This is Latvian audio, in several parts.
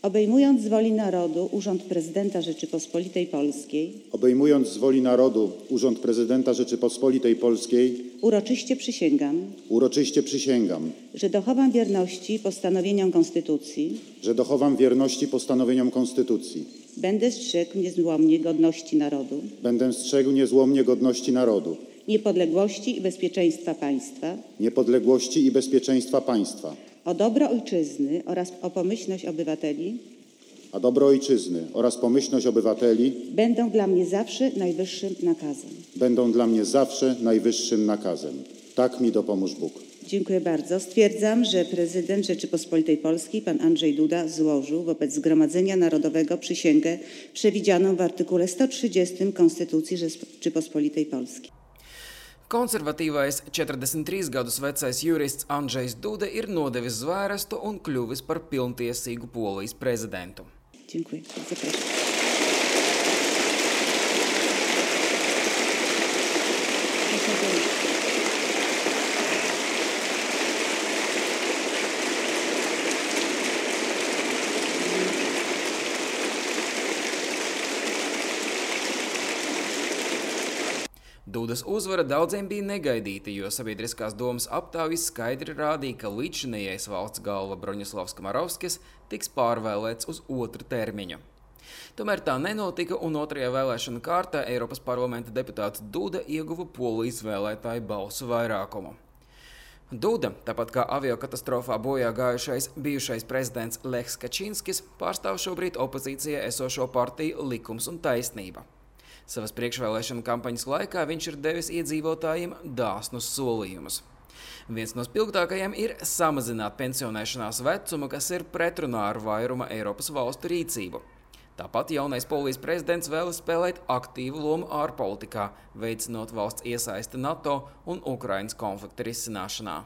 Obejmując z woli narodu urząd prezydenta Rzeczypospolitej Polskiej, obejmując z woli narodu urząd prezydenta Rzeczypospolitej Polskiej, uroczyście przysięgam, że dochowam wierności postanowieniom Konstytucji, będę strzegł niezłomnie godności narodu, niepodległości i bezpieczeństwa państwa, o dobro ojczyzny oraz pomyślność obywateli będą dla mnie zawsze najwyższym nakazem. Tak mi dopomóż Bóg. Dziękuję bardzo. Stwierdzam, że prezydent Rzeczypospolitej Polskiej, pan Andrzej Duda, złożył wobec Zgromadzenia Narodowego przysięgę przewidzianą w artykule 130 Konstytucji Rzeczypospolitej Polskiej. Konservatīvais 43 gadus vecais jurists Andrzejs Duda ir nodevis zvērestu un kļuvis par pilntiesīgu Polijas prezidentu. Dziękuję. Zapraszam. Dudas uzvara daudziem bija negaidīta, jo sabiedriskās domas aptaujas skaidri rādīja, ka līdzinājais valsts galva Broņislavs Kamarovskis tiks pārvēlēts uz otru termiņu. Tomēr tā nenotika, un otrajā vēlēšana kārtā Eiropas parlamenta deputāts Duda ieguva Polijas vēlētāju balsu vairākumu. Duda, tāpat kā aviokatastrofā bojā gājušais bijušais prezidents Lechs Kačinskis, pārstāv šobrīd opozīcijā esošo partiju Likums un taisnība. Savas priekšvēlēšana kampaņas laikā viņš ir devis iedzīvotājiem dāsnus solījumus. Viens no spilgtākajiem ir samazināt pensionēšanās vecumu, kas ir pretrunā ar vairuma Eiropas valstu rīcību. Tāpat jaunais Polijas prezidents vēlas spēlēt aktīvu lomu ārpolitikā, veicinot valsts iesaisti NATO un Ukrainas konflikta risināšanā.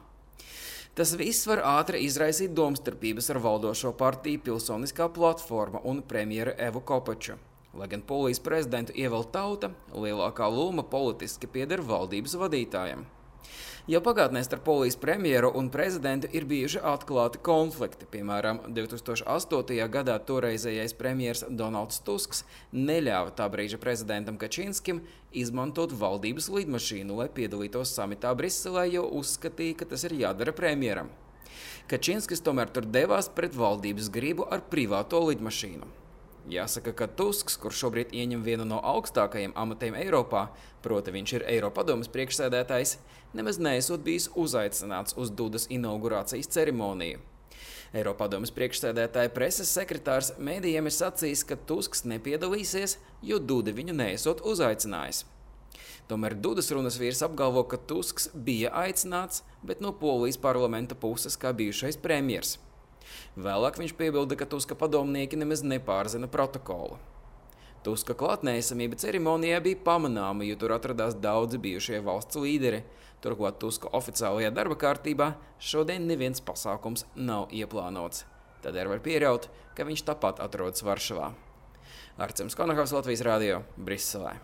Tas viss var ātri izraisīt domstarpības ar valdošo partiju Pilsoniskā platforma un premjeru Evu Kopaču. Lai gan Polijas prezidentu ievēl tauta, lielākā loma politiski pieder valdības vadītājiem. Jau pagātnē starp Polijas premjeru un prezidentu ir bijuši atklāti konflikti. Piemēram, 2008. gadā toreizējais premjers Donalds Tusks neļāva tā brīža prezidentam Kačinskim izmantot valdības lidmašīnu, lai piedalītos samitā Briselē, jo uzskatīja, ka tas ir jādara premjeram. Kačinskis tomēr tur devās pret valdības gribu ar privāto lidmašīnu. Jāsaka, ka Tusks, kurš šobrīd ieņem vienu no augstākajiem amatiem Eiropā, proti viņš ir Eiropadomes priekšsēdētājs, nemaz neesot bijis uzaicināts uz Dudas inaugurācijas ceremoniju. Eiropadomes priekšsēdētāja preses sekretārs mēdījiem ir sacījis, ka Tusks nepiedalīsies, jo Duda viņu neesot uzaicinājis. Tomēr Dudas runas vīrs apgalvo, ka Tusks bija aicināts, bet no Polijas parlamenta puses kā bijušais premjers. Vēlāk viņš piebilda, ka Tuska padomnieki nemaz nepārzina protokolu. Tuska klātnēsamība ceremonijā bija pamanāma, jo tur atradās daudzi bijušie valsts līderi. Turklāt Tuska oficiālajā darba kārtībā šodien neviens pasākums nav ieplānots. Tādēļ var pieļaut, ka viņš tāpat atrodas Varšavā. Arcims Konakovs, Latvijas radio, Briselē.